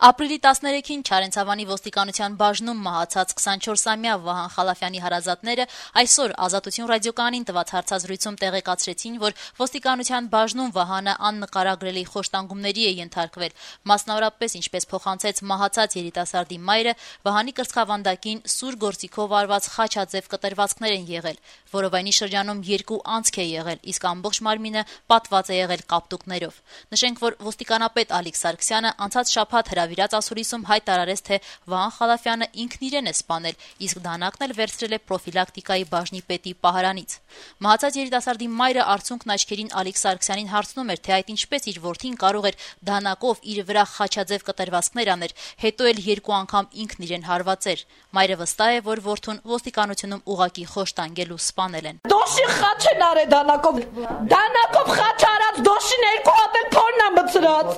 Ապրիլի 13-ին Չարենցավանի ոստիկանության բաժնում մահացած 24-ամյա Վահան Խալաֆյանի հարազատները այսօր Ազատություն ռադիոկայանին տված հարցազրույցում տեղեկացրեցին, որ ոստիկանության բաժնում Վահանը աննկարագրելի խոշտանգումների է ենթարկվել, մասնավորապես ինչպես փոխանցեց մահացած երիտասարդի մայրը, Վահանի կրծքավանդակին սուր գործիքով արված խաչաձև կտրվածքներ են եղել, որովայնի շրջանում 2 անցք է եղել, իսկ ամբողջ մարմինը պատված է եղել կապտուկներով։ Նշենք, որ ոստիկանապետ Ալիկ Սարգսյանը անցած շաբաթ հրավիրած ասուլիսում հայտարարեց, թե Վահան Խալաֆյանը ինքն իրեն է սպանել, իսկ դանակն էլ վերցրել է պրոֆիլակտիկայի բաժնի պետի պահարանից։ Մահացած երիտասարդի մայրը արցունքն աչքերին Ալիկ Սարգսյանին հարցնում էր, թե այդ ինչպես իր որդին կարող էր դանակով իր վրա խաչաձև կտրվածքներ անել, հետո էլ 2 անգամ ինքն իրեն հարվածեր։ Մայրը վստահ է, որ որդուն ոստիկանությունում ուղղակի խոշտանգել ու սպանել են։ Դոշի խաչ են արել դանակով խաչ արած դոշին 2 հատ էլ փորնա մցրած։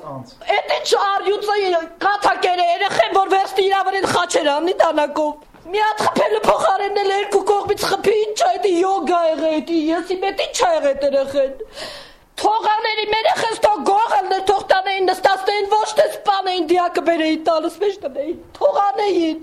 Էդ ինչ արյուծը կաթակերը երեխեն որ վերստի իրա վրան խաչեր անի դանակով։ Մի հատ խփելը փոխարինել 2 կողմից խփի, ինչ է դա յոգա եղել, եսի մետ ինչ է եղել երեխեն։ Թողաների երեխես թող գողալներ թող տանեին նստածներին ոչ թե սպանեին դիակը բերեին տալս մեջ տնեին, թողանեին։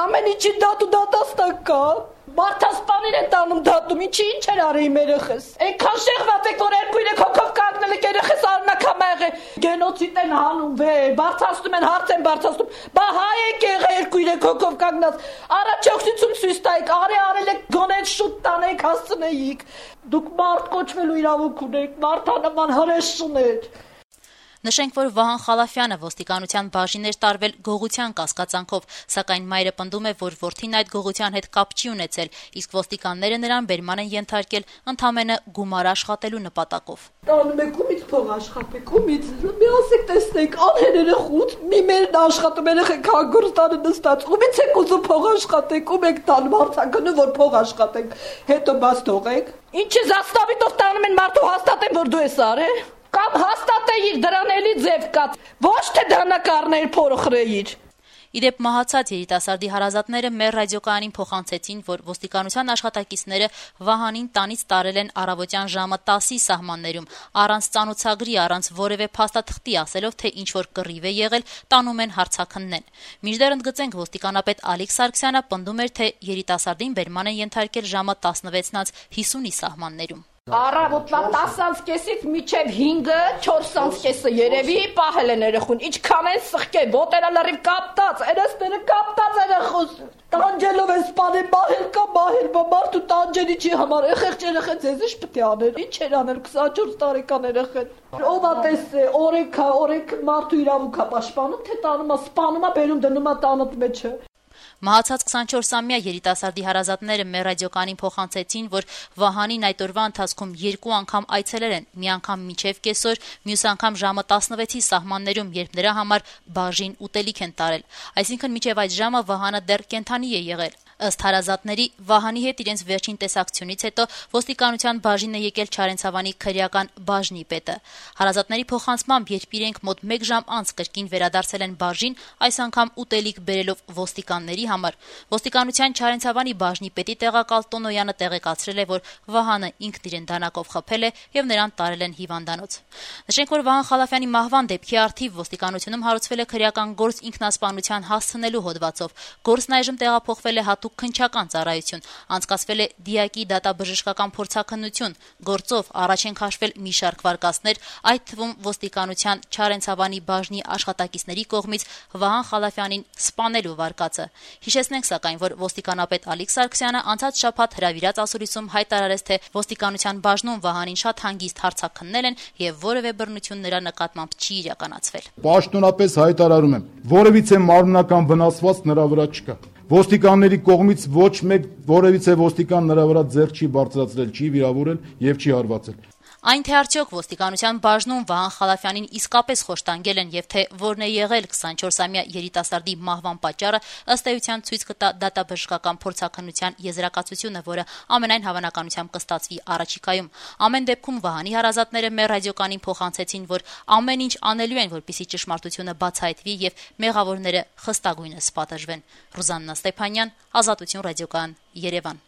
Ամեն ինչի դատու դատաստան կա։ Մարդասպանին են տանում դատում, ինչի ինչ էր արել իմ երեխես։ Այնքան շեղված եք, որ 2-3 հոգով կանգնել եք երեխես արնակամ եղել։ Գենոցիդ են հանում, բարձրացնում են, հարց են բարձրացնում։ Բա հայ եք եղել 2-3 հոգով կանգնած։ Առաջողջություն ցույց տայիք, արել եք գոնե շուտ տանեք հասցնեիք։ Դուք մարդ կոչվելու իրավունք ունեք, մարդանման հրես չունեք։ Նշենք, որ Վահան Խալաֆյանը ոստիկանության բաժին էր տարվել գողության կասկածանքով, սակայն մայրը պնդում է, որ որդին այդ գողության հետ կապ չի ունեցել, իսկ ոստիկանները նրան բերման են ենթարկել ընդամենը գումար աշխատելու նպատակով։ Տանում եք ումից փող աշխատեք, ումից մի ասեք տեսնեք, անհերերը խուտ, մի մերն աշխատում երեխեք հագուրստանը նստած, ումից եք ուզում փող աշխատեք, ում եք տանում հարցականը, որ փող աշխատեք, հետո բաց թողեք։ Ինչ է զաստավիտով տանում են մարդու հաստատեն, որ դու ես արել։ Կամ հաստատեիր դրան էլի ձև կա, ոչ թե դանակարներ փորոխրեիր։ Իդեպ մահացած երիտասարդի հարազատները մեր ռադիոկայանին փոխանցեցին, որ ոստիկանության աշխատակիցները Վահանին տանից տարել են առավոտյան ժամը 10-ի սահմաններում, առանց ծանոթագրի, առանց որևէ փաստաթղթի, ասելով, թե ինչ-որ կռիվ է եղել, տանում են հարցաքննեն։ Մինչդեռ ընդգծենք, ոստիկանապետ Ալիկ Սարգսյանը պնդում էր, թե երիտասարդին բերման են ենթարկել ժամը 16:50-ի սահմաններում։ Առավոտվա 10:30-ից մինչև 5-ը 4:30-ը երևի պահել են երեխուն, ինչքան են սխկել, ոտերը լրիվ կապտած, երեսները կապտած երեխուս, տանջելով են սպանել, մահել կա, մարդու տանջերի չի համար, եղեղջ երեխեն ձեզ ինչ պտի աներ, ինչ էր անել 24 տարեկան երեխեն, ով ա տեսե, օրենք մարդու իրավունք ա պաշտպանում, թե տանում ա, սպանում ա, բերում դնում ա տանոտ մեջը։ Մահացած 24-ամյա երիտասարդի հարազատները մեր ռադիոկայանին փոխանցեցին, որ Վահանին այդ օրվա ընթացքում 2 անգամ այցելել են, մի անգամ մինչև կեսօր, մյուս անգամ ժամը 16-ի սահմաններում, երբ նրա համար բաժին ուտելիք են տարել։ Այսինքն մինչև այդ ժամը Վահանը դեռ կենդանի է եղել։ Ըստ հարազատների, Վահանի հետ իրենց վերջին տեսակցությունից հետո ոստիկանության բաժին է եկել Չարենցավանի քրեական բաժնի պետը։ Հարազատների փոխանցմամբ, երբ իրենք մոտ 1 ժամ անց կրկին վերադարձել են բաժին, այս անգամ ուտելիք բերելով ոստիկանների համար, ոստիկանության Չարենցավանի բաժնի պետի տեղակալ Տոնոյանը տեղեկացրել է, որ Վահանը ինքն իրեն դանակով խփել է եւ նրան տարել են հիվանդանոց։ Նշենք, որ Վահան Խալաֆյանի մահվան դեպքի առթիվ ոստիկանությունում հարուցվել է քրեական գործ ինքնասպանության հասցնելու հոդվածով։ Գործն այժմ տեղափոխվել է հատուկ քննչական ծառայություն, անցկացվել է դիակի դատաբժշկական փորձաքննություն, գործով առաջ են քաշվել մի շարք վարկածներ, այդ թվում ոստիկանության Չարենցավանի բաժնի աշխատակիցների կողմից Վահան Խալաֆյանին սպանելու վարկածը։ Հիշեցնենք սակայն, որ ոստիկանապետ Ալիկ Սարգսյանը անցած շաբաթ հրավիրած ասուլիսում հայտարարեց, թե ոստիկանության բաժնում Վահանին շատ հանգիստ հարցաքննել են եւ որևէ բռնություն նրա նկատմամբ չի իրականացվել։ Պաշտոնապես հայտարարում եմ, որևիցե մարմնական վնասված նրա վրա չկա։ Ոստիկանների կողմից ոչ մեկ որևիցե ոստիկան նրա վրա ձեռք չի բարձրացրել, չի վիրավորել եւ չի հարվածել։ Այն թե արդյոք ոստիկանության բաժնում Վահան Խալաֆյանին իսկապես խոշտանգել են եւ թե որն է եղել 24-ամյա երիտասարդի մահվան պատճառը, ըստ էության ցույց կտա դատաբժշկական փորձաքննության եզրակացությունը, որը ամենայն հավանականությամբ կստացվի առաջիկայում։ Ամեն դեպքում Վահանի հարազատները մեր ռադիոկայանին փոխանցեցին, որ ամեն ինչ անելու են, որպեսզի ճշմարտությունը բացահայտվի եւ մեղավորները խստագույնս պատժվեն։ Ռուզաննա Ստեփանյան, Ազատություն ռադիոկայան, Երևան։